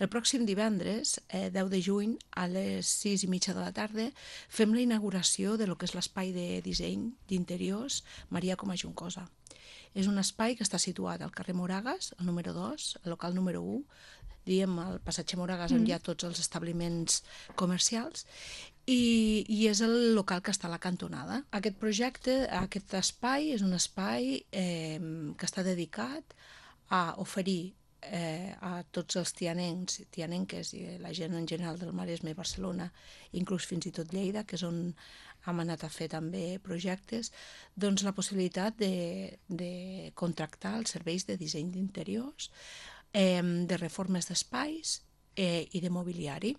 El pròxim divendres, 10 de juny, a les 6:30 de la tarda, fem la inauguració de lo que és l'espai de disseny d'interiors Maria Coma Juncosa. És un espai que està situat al carrer Moragas, el número 2, el local número 1, diguem, al passatge Moragas on hi ha tots els establiments comercials, i és el local que està a la cantonada. Aquest projecte, aquest espai, és un espai que està dedicat a oferir a tots els tianencs, tianenques i la gent en general del Maresme, Barcelona, inclús fins i tot Lleida, que és on hem anat a fer també projectes, doncs la possibilitat de contractar els serveis de disseny d'interiors, de reformes d'espais i de mobiliari.